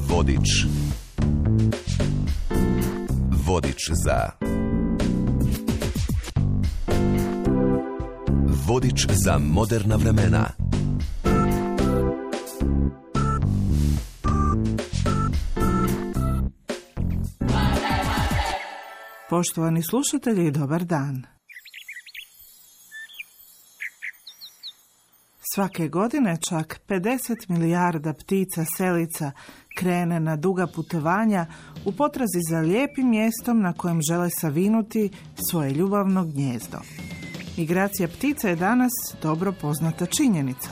Vodič. Vodič za... Vodič za moderna vremena. Poštovani slušatelji, dobar dan. Svake godine čak 50 milijarda ptica selica krene na duga putovanja u potrazi za lijepim mjestom na kojem žele savinuti svoje ljubavno gnijezdo. Migracija ptica je danas dobro poznata činjenica.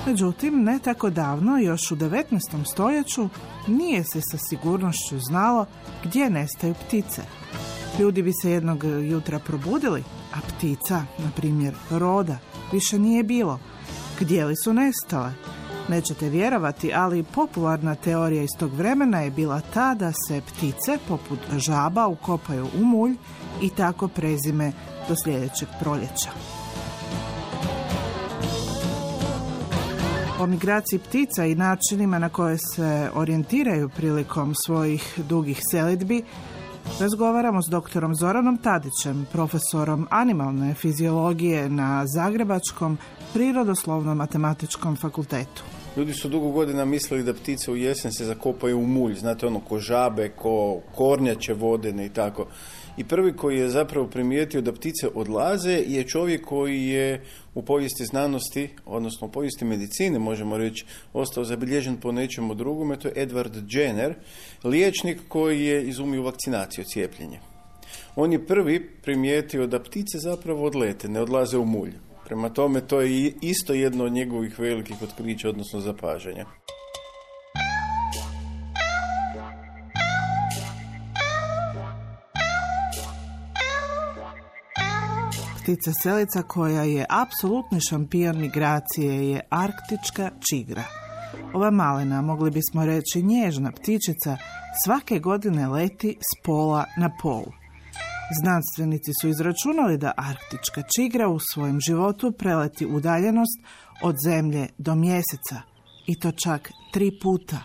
Međutim, ne tako davno, još u 19. stoljeću, nije se sa sigurnošću znalo gdje nestaju ptice. Ljudi bi se jednog jutra probudili, a ptica, na primjer roda, više nije bilo. Gdje li su nestale? Nećete vjerovati, ali popularna teorija iz tog vremena je bila ta da se ptice, poput žaba, ukopaju u mulj i tako prezime do sljedećeg proljeća. O migraciji ptica i načinima na koje se orijentiraju prilikom svojih dugih selidbi razgovaramo s doktorom Zoranom Tadićem, profesorom animalne fiziologije na Zagrebačkom Prirodoslovno-matematičkom fakultetu. Ljudi su dugo godina mislili da ptice u jesen se zakopaju u mulj, znate ono ko žabe, ko kornjače vodene i tako. I prvi koji je zapravo primijetio da ptice odlaze je čovjek koji je u povijesti znanosti, odnosno u povijesti medicine, možemo reći, ostao zabilježen po nečemu drugome, to je Edward Jenner, liječnik koji je izumio vakcinaciju, cijepljenje. On je prvi primijetio da ptice zapravo odlete, ne odlaze u mulj. Prema tome, to je isto jedno od njegovih velikih otkrića, odnosno zapažanja. Ptica selica koja je apsolutni šampion migracije je arktička čigra. Ova malena, mogli bismo reći nježna ptičica, svake godine leti s pola na pol. Znanstvenici su izračunali da arktička čigra u svojem životu preleti udaljenost od Zemlje do Mjeseca, i to čak 3 puta.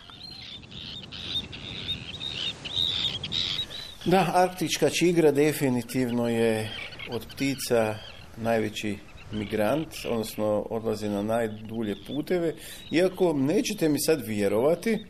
Da, arktička čigra definitivno je od ptica najveći migrant, odnosno odlazi na najdulje puteve. Iako nećete mi sad vjerovati,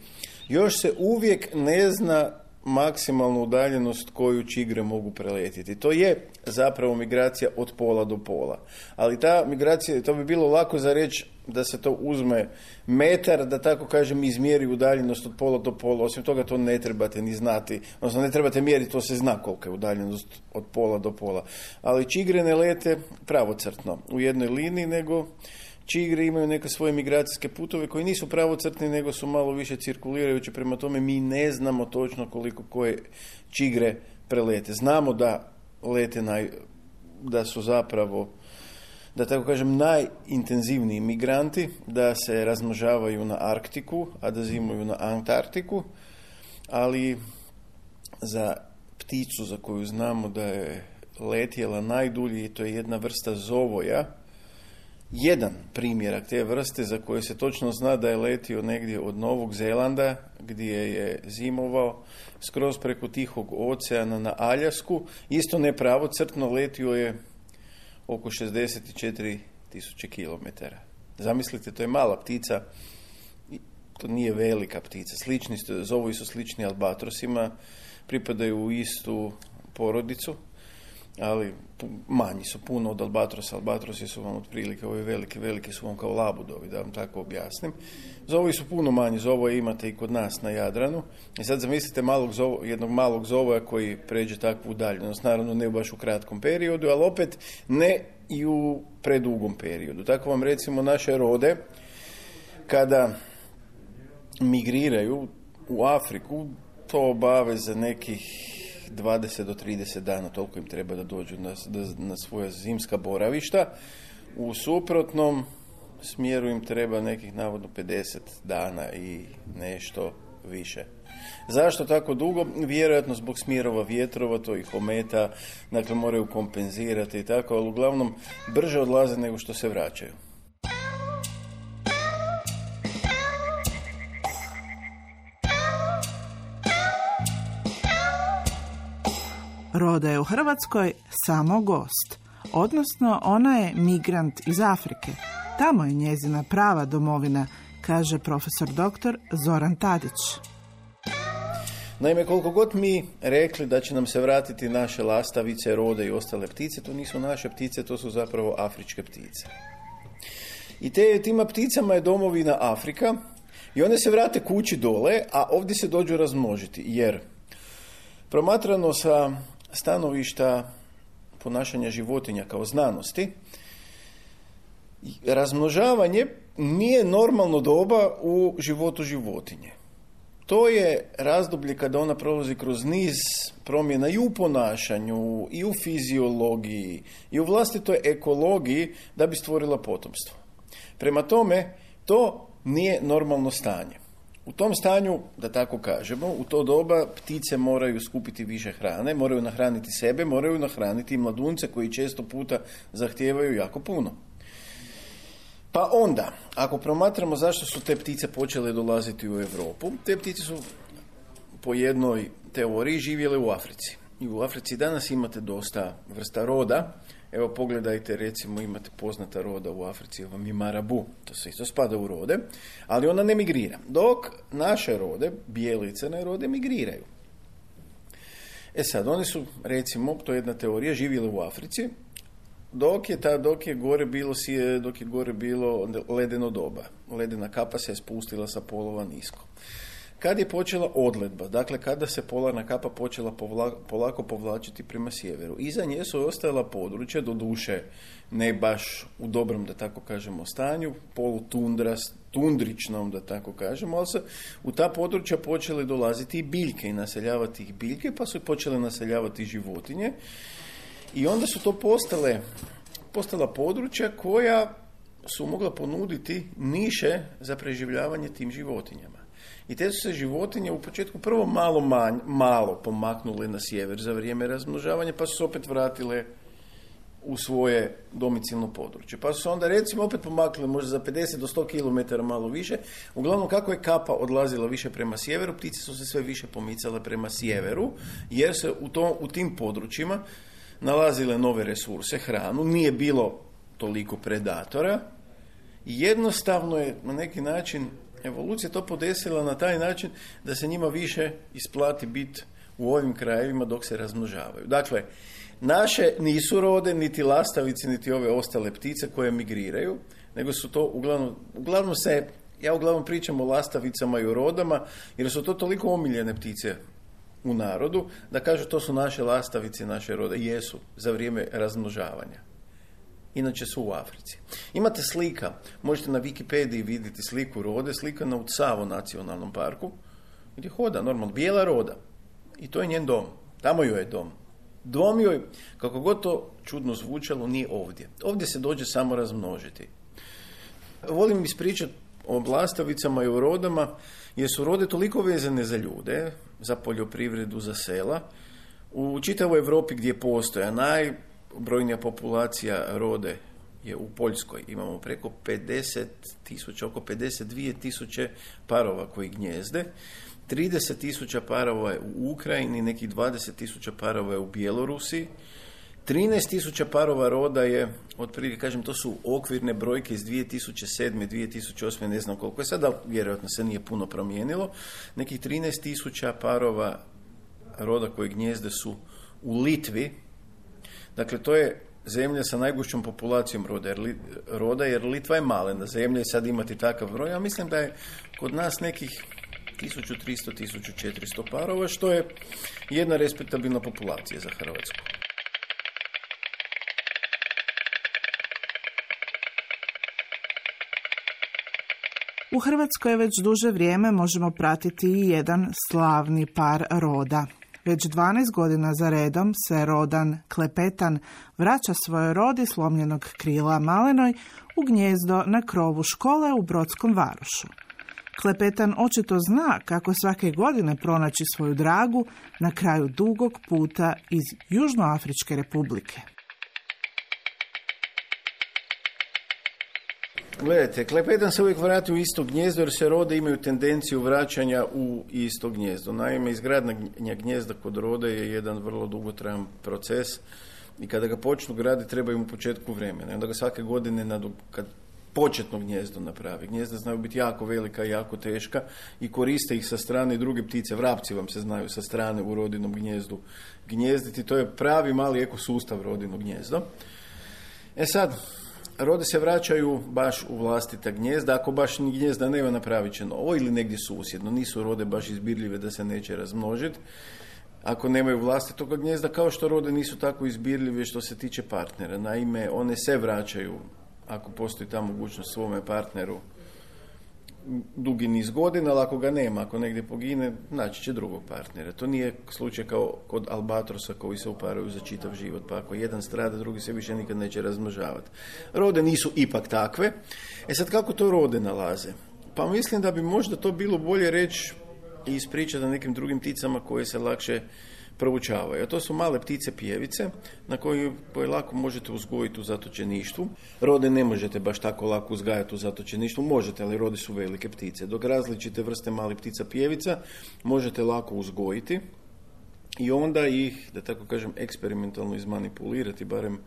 još se uvijek ne zna maksimalnu udaljenost koju čigre mogu preletiti. To je zapravo migracija od pola do pola. Ali ta migracija, to bi bilo lako za reći da se to uzme metar, da tako kažem, izmjeri udaljenost od pola do pola. Osim toga to ne trebate ni znati, odnosno ne trebate mjeriti, to se zna kolika je udaljenost od pola do pola. Ali čigre ne lete pravocrtno u jednoj liniji, nego čigre imaju neke svoje migracijske putove koji nisu pravocrtni, nego su malo više cirkulirajući. Prema tome mi ne znamo točno koliko koje čigre prelete. Znamo da lete da su zapravo, da tako kažem, najintenzivniji migranti, da se razmnožavaju na Arktiku, a da zimuju na Antarktiku, ali za pticu za koju znamo da je letjela najdulje, to je jedna vrsta zovoja, jedan primjerak te vrste za koje se točno zna da je letio negdje od Novog Zelanda, gdje je zimovao, skroz preko Tihog oceana na Aljasku, isto nepravocrtno, letio je oko 64.000 kilometara. Zamislite, to je mala ptica, to nije velika ptica. Zovovi su slični albatrosima, pripadaju u istu porodicu, ali manji su puno od albatrosa. Albatrosi su vam otprilike, ovi veliki su vam kao labudovi, da vam tako objasnim. Zovovi su puno manji, zovoje imate i kod nas na Jadranu. I sad zamislite jednog malog zovoja koji pređe takvu udaljenost. Naravno ne baš u kratkom periodu, ali opet ne i u predugom periodu. Tako vam recimo naše rode, kada migriraju u Afriku, to obave za nekih 20 do 30 dana, toliko im treba da dođu na svoja zimska boravišta. U suprotnom smjeru im treba nekih navodno 50 dana i nešto više. Zašto tako dugo? Vjerojatno zbog smjerova vjetrova, to ih ometa, dakle moraju kompenzirati i tako, ali uglavnom brže odlaze nego što se vraćaju. Roda je u Hrvatskoj samo gost, odnosno ona je migrant iz Afrike. Tamo je njezina prava domovina, kaže profesor dr. Zoran Tadić. Naime, koliko god mi rekli da će nam se vratiti naše lastavice, rode i ostale ptice, to nisu naše ptice, to su zapravo afričke ptice. I tima pticama je domovina Afrika i one se vrate kući dole, a ovdje se dođu razmnožiti, jer promatrano sa stanovišta ponašanja životinja kao znanosti, razmnožavanje nije normalno doba u životu životinje. To je razdoblje kada ona prolazi kroz niz promjena i u ponašanju, i u fiziologiji, i u vlastitoj ekologiji da bi stvorila potomstvo. Prema tome, to nije normalno stanje. U tom stanju, da tako kažemo, u to doba ptice moraju skupiti više hrane, moraju nahraniti sebe, moraju nahraniti i mladunce koji često puta zahtijevaju jako puno. Pa onda, ako promatramo zašto su te ptice počele dolaziti u Europu, te ptice su po jednoj teoriji živjele u Africi. I u Africi danas imate dosta vrsta roda. Evo pogledajte, recimo imate poznata roda u Africi, vam je marabu, to se isto spada u rode, ali ona ne migrira. Dok naše rode, bijele i crne rode, migriraju. Sad, oni su, recimo, to je jedna teorija, živjeli u Africi, dok je gore bilo ledeno doba. Ledena kapa se je spustila sa polova nisko. Kad je počela odledba, dakle kada se polarna kapa počela polako povlačiti prema sjeveru, iza nje su ostajala područja, doduše ne baš u dobrom, da tako kažemo, stanju, tundričnom, da tako kažemo, ali se u ta područja počele dolaziti i biljke i naseljavati ih biljke, pa su počele naseljavati životinje i onda su to postala područja koja su mogla ponuditi niše za preživljavanje tim životinjama. I te su se životinje u početku prvo malo pomaknule na sjever za vrijeme razmnožavanja, pa su se opet vratile u svoje domicilno područje. Pa su se onda recimo opet pomaknule možda za 50 do 100 km malo više. Uglavnom kako je kapa odlazila više prema sjeveru, ptice su se sve više pomicale prema sjeveru, jer se u tim područjima nalazile nove resurse, hranu, nije bilo toliko predatora i jednostavno je na neki način evolucija to podesila na taj način da se njima više isplati biti u ovim krajevima dok se razmnožavaju. Dakle, naše nisu rode, niti lastavice, niti ove ostale ptice koje migriraju, nego su to uglavnom pričam o lastavicama i o rodama, jer su to toliko omiljene ptice u narodu, da kažu to su naše lastavice, naše rode. Jesu, za vrijeme razmnožavanja. Inače su u Africi. Imate slika, možete na Wikipediji vidjeti sliku rode, slika na Utsavo nacionalnom parku, gdje hoda normalno, bijela roda. I to je njen dom. Tamo joj je dom. Dom joj, kako god to čudno zvučalo, nije ovdje. Ovdje se dođe samo razmnožiti. Volim ispričati o lastavicama i o rodama, jer su rode toliko vezane za ljude, za poljoprivredu, za sela. U čitavoj Europi gdje postoje najbrojnija populacija rode je u Poljskoj. Imamo preko 50.000, oko 52.000 parova koji gnjezde. 30.000 parova je u Ukrajini, nekih 20.000 parova je u Bjelorusiji. 13.000 parova roda je, otprilike kažem, to su okvirne brojke iz 2007. 2008. ne znam koliko je sada, vjerojatno se nije puno promijenilo. Nekih 13.000 parova roda koji gnjezde su u Litvi. Dakle, to je zemlja sa najgušćom populacijom roda, jer Litva je malena zemlja i sad imati takav broj. Ja mislim da je kod nas nekih 1300-1400 parova, što je jedna respektabilna populacija za Hrvatsku. U Hrvatskoj već duže vrijeme možemo pratiti i jedan slavni par roda. Već 12 godina za redom se rodan Klepetan vraća svojoj rodi slomljenog krila malenoj u gnjezdo na krovu škole u Brodskom Varošu. Klepetan očito zna kako svake godine pronaći svoju dragu na kraju dugog puta iz Južnoafričke republike. Gledajte, klepetan se uvijek vrati u isto gnjezdo jer se rode imaju tendenciju vraćanja u isto gnjezdo. Naime, izgradnja gnjezda kod rode je jedan vrlo dugotrajan proces i kada ga počnu graditi treba im u početku vremena. Onda ga svake godine kad početno gnjezdo napravi. Gnjezda znaju biti jako velika i jako teška i koriste ih sa strane druge ptice. Vrapci vam se znaju sa strane u rodinom gnjezdu gnijezditi. To je pravi mali ekosustav rodino gnjezdo. E sad, rode se vraćaju baš u vlastita gnjezda. Ako baš ni gnjezda nema, napravit će novo ili negdje susjedno. Nisu rode baš izbirljive da se neće razmnožiti. Ako nemaju vlastitog gnjezda, kao što rode nisu tako izbirljive što se tiče partnera. Naime, one se vraćaju, ako postoji ta mogućnost, svome partneru dugi niz godina, ali ako ga nema, ako negdje pogine, naći će drugog partnera. To nije slučaj kao kod albatrosa koji se uparaju za čitav život, pa ako jedan strada, drugi se više nikad neće razmnožavati. Rode nisu ipak takve. E sad, kako to rode nalaze? Pa mislim da bi možda to bilo bolje reći i ispričati o nekim drugim pticama koje se lakše proučavaju. A to su male ptice pjevice na koje lako možete uzgojiti u zatočeništvu. Rode ne možete baš tako lako uzgajati u zatočeništvu, možete, ali rode su velike ptice. Dok različite vrste malih ptica pjevica možete lako uzgojiti i onda ih, da tako kažem, eksperimentalno izmanipulirati, barem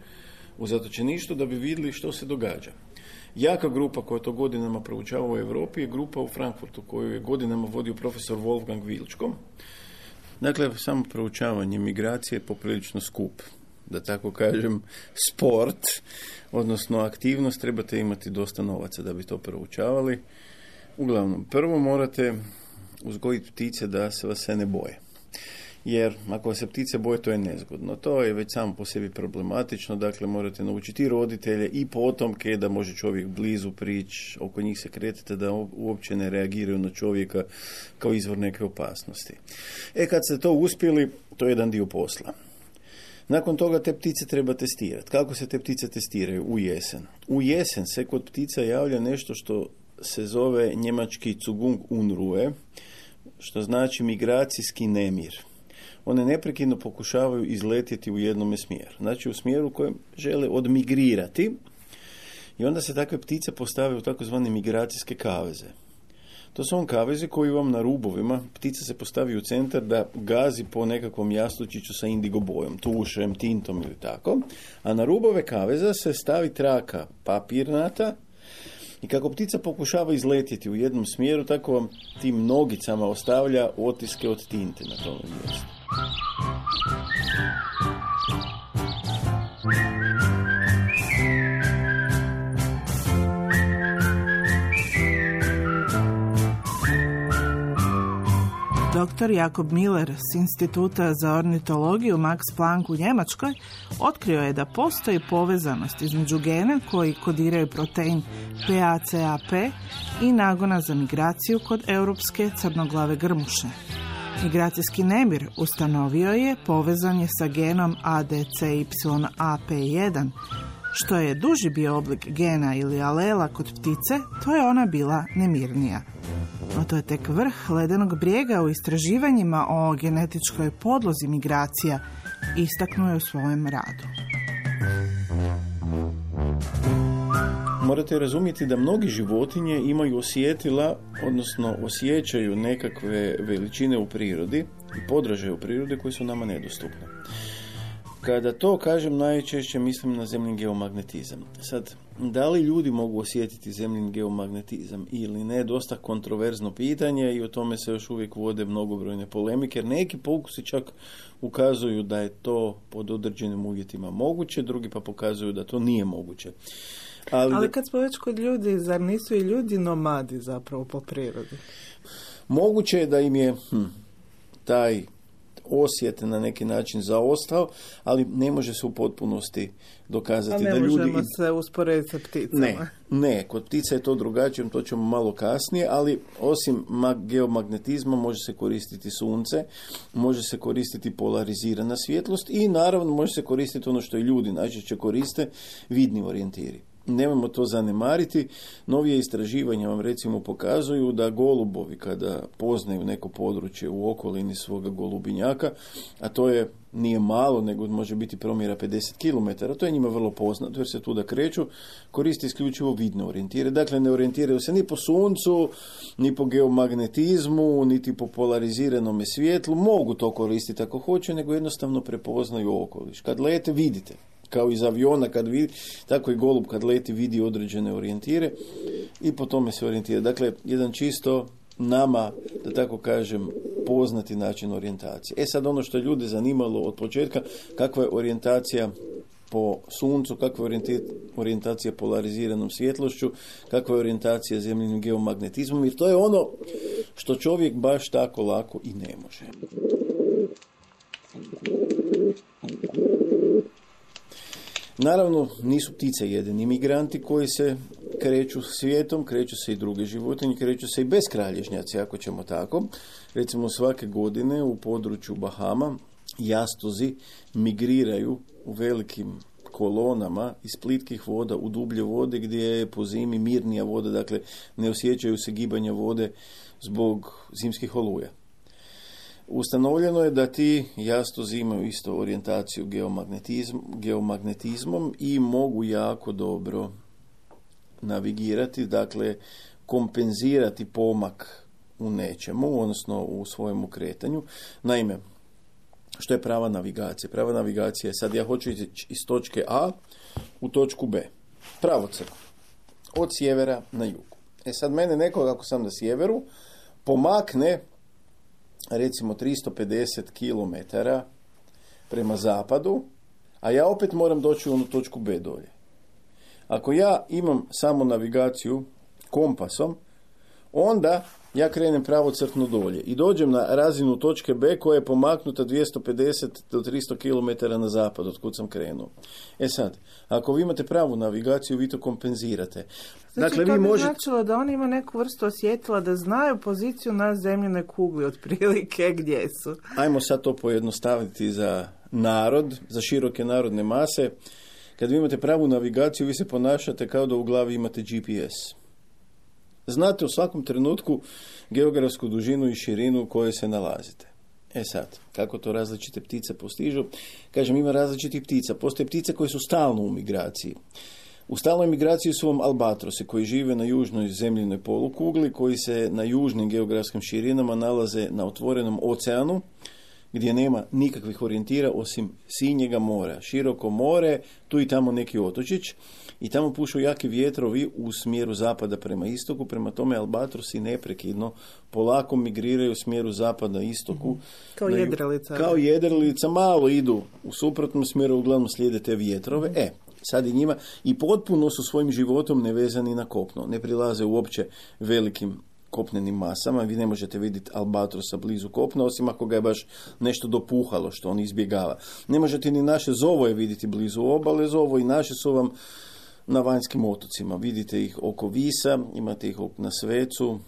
u zatočeništvu, da bi vidjeli što se događa. Jaka grupa koja to godinama proučava u Europi je grupa u Frankfurtu koju je godinama vodio profesor Wolfgang Wilczko. Dakle, samo proučavanje migracije je poprilično skup, da tako kažem, sport, odnosno aktivnost, trebate imati dosta novaca da bi to proučavali. Uglavnom, prvo morate uzgojiti ptice da se vas se ne boje. Jer ako se ptice boje, to je nezgodno. To je već samo po sebi problematično, dakle morate naučiti i roditelje i potomke da može čovjek blizu prići, oko njih se kretati, da uopće ne reagiraju na čovjeka kao izvor neke opasnosti. Kad ste to uspjeli, to je jedan dio posla. Nakon toga te ptice treba testirati. Kako se te ptice testiraju? U jesen. U jesen se kod ptica javlja nešto što se zove njemački Zugungunruhe, što znači migracijski nemir. One neprekidno pokušavaju izletjeti u jednome smjeru. Znači u smjeru kojem žele odmigrirati i onda se takve ptice postave u takozvane migracijske kaveze. To su kavezi koji vam na rubovima, ptica se postavi u centar da gazi po nekakvom jastučiću sa indigo bojom, tušem, tintom ili tako, a na rubove kaveza se stavi traka papirnata i kako ptica pokušava izletjeti u jednom smjeru, tako vam tim nogicama ostavlja otiske od tinte na tom mjestu. Dr. Jakob Miller s Instituta za ornitologiju Max Planck u Njemačkoj otkrio je da postoji povezanost između gena koji kodiraju protein PACAP i nagona za migraciju kod europske crnoglave grmuše. Migracijski nemir ustanovio je povezan je sa genom ADCYAP1. Što je duži bio oblik gena ili alela kod ptice, to je ona bila nemirnija. No to je tek vrh ledenog brijega u istraživanjima o genetičkoj podlozi migracija, istaknuo je u svojem radu. Morate razumjeti da mnogi životinje imaju osjetila, odnosno osjećaju nekakve veličine u prirodi i podražaje u prirodi koji su nama nedostupne. Kada to kažem, najčešće mislim na zemljin geomagnetizam. Sad, da li ljudi mogu osjetiti zemljin geomagnetizam ili ne, dosta kontroverzno pitanje i o tome se još uvijek vode mnogobrojne polemike, jer neki pokusi čak ukazuju da je to pod određenim uvjetima moguće, drugi pa pokazuju da to nije moguće. Ali kad smo već kod ljudi, zar nisu i ljudi nomadi zapravo po prirodi? Moguće je da im je taj osjet na neki način zaostao, ali ne može se u potpunosti dokazati da ljudi... A ne možemo se usporediti sa pticama. Ne, kod ptica je to drugačije, to ćemo malo kasnije, ali osim geomagnetizma može se koristiti sunce, može se koristiti polarizirana svjetlost i naravno može se koristiti ono što i ljudi najčešće koriste, vidni orijentiri. nemojmo to zanemariti. Novije istraživanja vam recimo pokazuju da golubovi kada poznaju neko područje u okolini svoga golubinjaka, a to nije malo, nego može biti promjera 50 km, to je njima vrlo poznato jer se tuda kreću, koriste isključivo vidne orijentire. Dakle, ne orijentiraju se ni po suncu, ni po geomagnetizmu, niti po polariziranom svjetlu. Mogu to koristiti ako hoće, nego jednostavno prepoznaju okoliš. Kad lete, vidite. Kao iz aviona kad vidi, tako i golub kad leti vidi određene orijentire i po tome se orijentira. Dakle, jedan čisto nama, da tako kažem, poznati način orijentacije. Sad ono što je ljude zanimalo od početka, kakva je orijentacija po suncu, kakva je orijentacija polariziranom svjetlošću, kakva je orijentacija zemljinim geomagnetizmom, jer to je ono što čovjek baš tako lako i ne može. Naravno, nisu ptice jedini migranti koji se kreću svijetom, kreću se i druge životinje, kreću se i beskralježnjaci, ako ćemo tako. Recimo, svake godine u području Bahama jastozi migriraju u velikim kolonama iz plitkih voda u dublje vode gdje je po zimi mirnija voda, dakle ne osjećaju se gibanja vode zbog zimskih oluja. Ustanovljeno je da ti jastozi imaju isto orijentaciju geomagnetizmom i mogu jako dobro navigirati, dakle kompenzirati pomak u nečemu, odnosno u svojemu kretanju. Naime, što je prava navigacija? Prava navigacija je sad ja hoću ići iz točke A u točku B. Pravocrtno. Od sjevera na jug. Sad mene neko, ako sam na sjeveru, pomakne recimo 350 km prema zapadu, a ja opet moram doći u onu točku B dolje. Ako ja imam samo navigaciju kompasom, onda ja krenem pravocrtno dolje i dođem na razinu točke B koja je pomaknuta 250 do 300 km na zapad od kud sam krenuo. Sad, ako vi imate pravu navigaciju, vi to kompenzirate. Znači, dakle, to bi značilo da oni imaju neku vrstu osjetila da znaju poziciju na zemljinoj kugli otprilike gdje su. Ajmo sad to pojednostaviti za narod, za široke narodne mase. Kad vi imate pravu navigaciju, vi se ponašate kao da u glavi imate GPS. Znate u svakom trenutku geografsku dužinu i širinu u kojoj se nalazite. Sad, kako to različite ptice postižu? Kažem, ima različitih ptica. Postoje ptice koje su stalno u migraciji. U stalnoj migraciji su vam albatrosi koji žive na južnoj zemljinoj polukugli, koji se na južnim geografskim širinama nalaze na otvorenom oceanu, gdje nema nikakvih orijentira osim sinjega mora. Široko more, tu i tamo neki otočić i tamo pušu jaki vjetrovi u smjeru zapada prema istoku, prema tome albatrosi neprekidno polako migriraju u smjeru zapada istoku. Kao jedrilica. Kao jedrilica, malo idu u suprotnom smjeru, uglavnom slijede te vjetrove. Sad i njima i potpuno su svojim životom nevezani na kopno. Ne prilaze uopće velikim kopnenim masama. Vi ne možete vidjeti albatrosa blizu kopna, osim ako ga je baš nešto dopuhalo što on izbjegava. Ne možete ni naše zovoje vidjeti blizu obale. Zovo i naše su vam na vanjskim otocima. Vidite ih oko Visa, imate ih na Svecu,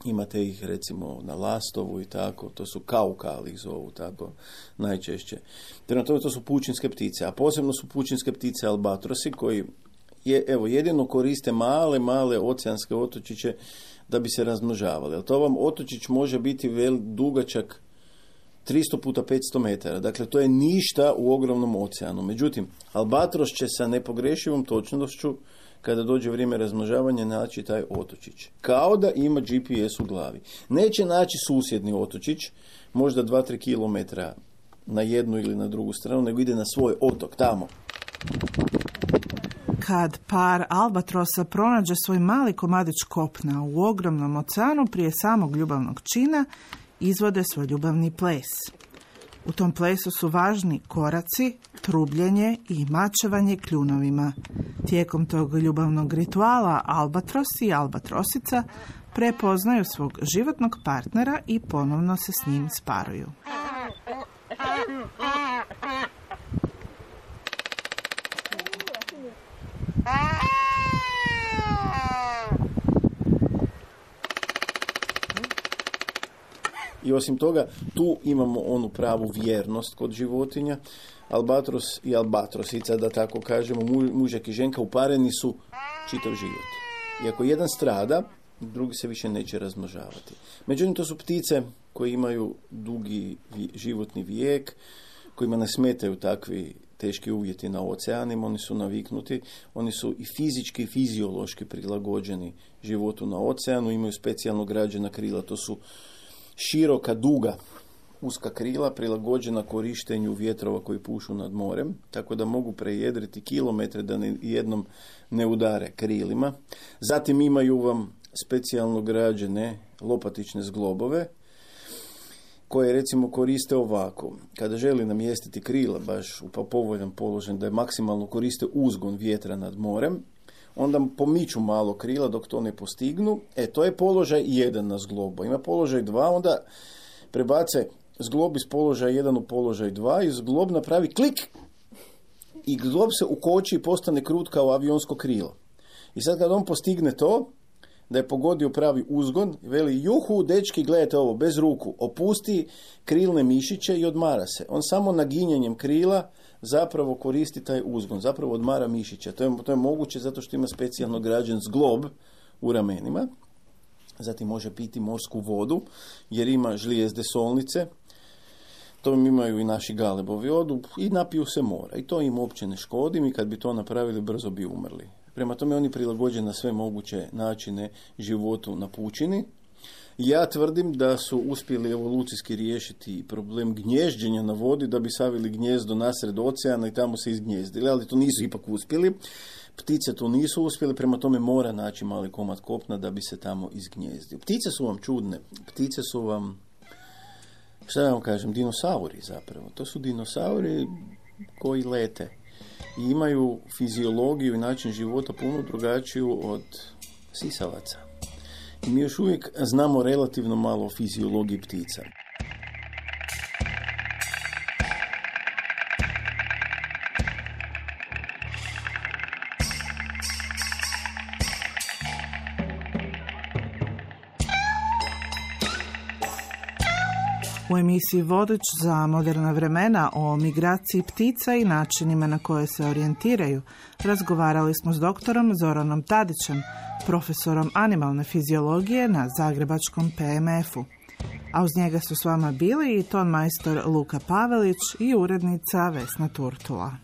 imate ih recimo na Lastovu i tako. To su kaukali ih zovu tako najčešće. Prema tome to su pučinske ptice, a posebno su pučinske ptice albatrosi koji jedino koriste male oceanske otočiće da bi se razmnožavali. Ali to vam otočić može biti dugačak 300 puta 500 metara. Dakle, to je ništa u ogromnom oceanu. Međutim, albatros će sa nepogrešivom točnošću, kada dođe vrijeme razmnožavanja, naći taj otočić. Kao da ima GPS u glavi. Neće naći susjedni otočić, možda 2-3 km na jednu ili na drugu stranu, nego ide na svoj otok, tamo. Kad par albatrosa pronađe svoj mali komadić kopna u ogromnom oceanu prije samog ljubavnog čina, izvode svoj ljubavni ples. U tom plesu su važni koraci, trubljenje i mačevanje kljunovima. Tijekom tog ljubavnog rituala albatros i albatrosica prepoznaju svog životnog partnera i ponovno se s njim sparuju. I osim toga, tu imamo onu pravu vjernost kod životinja. Albatros i albatrosica, da tako kažemo, mužak i ženka upareni su čitav život. I ako jedan strada, drugi se više neće razmnožavati. Međutim, to su ptice koje imaju dugi životni vijek, kojima ne smetaju takvi teški uvjeti na oceanima, oni su naviknuti, oni su i fizički i fiziološki prilagođeni životu na oceanu, imaju specijalno građena krila, to su široka, duga, uska krila prilagođena korištenju vjetrova koji pušu nad morem, tako da mogu prejedriti kilometre da jednom ne udare krilima. Zatim imaju vam specijalno građene lopatične zglobove, koje recimo koriste ovako. Kada želi namjestiti krila baš u povoljan položaj da je maksimalno koriste uzgon vjetra nad morem, onda pomiču malo krila dok to ne postignu. To je položaj 1 na zglobu. Ima položaj 2, onda prebace zglob iz položaja 1 u položaj 2 i zglob napravi klik i zglob se ukoči i postane krut kao avionsko krilo. I sad kad on postigne to, da je pogodio pravi uzgon, veli, juhu, dečki, gledajte ovo, bez ruku, opusti krilne mišiće i odmara se. On samo naginjanjem krila zapravo koristi taj uzgon, zapravo odmara mišiće. To je moguće zato što ima specijalno građen zglob u ramenima. Zatim može piti morsku vodu, jer ima žlijezde solnice. To imaju i naši galebovi, odu i napiju se mora. I to im uopće ne škodi, i kad bi to napravili, brzo bi umrli. Prema tome oni prilagođeni na sve moguće načine životu na pučini. Ja tvrdim da su uspjeli evolucijski riješiti problem gnježđenja na vodi, da bi savili gnjezdo nasred oceana i tamo se izgnjezdili, ali to nisu ipak uspjeli. Ptice to nisu uspjeli, prema tome mora naći mali komad kopna da bi se tamo izgnjezdio. Ptice su vam čudne, ptice su vam, šta da vam kažem, dinosauri zapravo. To su dinosauri koji lete i imaju fiziologiju i način života puno drugačiju od sisavaca. I mi još uvijek znamo relativno malo o fiziologiji ptica. U emisiji Vodič za moderna vremena o migraciji ptica i načinima na koje se orijentiraju razgovarali smo s doktorom Zoranom Tadićem, profesorom animalne fiziologije na Zagrebačkom PMF-u. A uz njega su s vama bili i tonmajstor Luka Pavelić i urednica Vesna Turtula.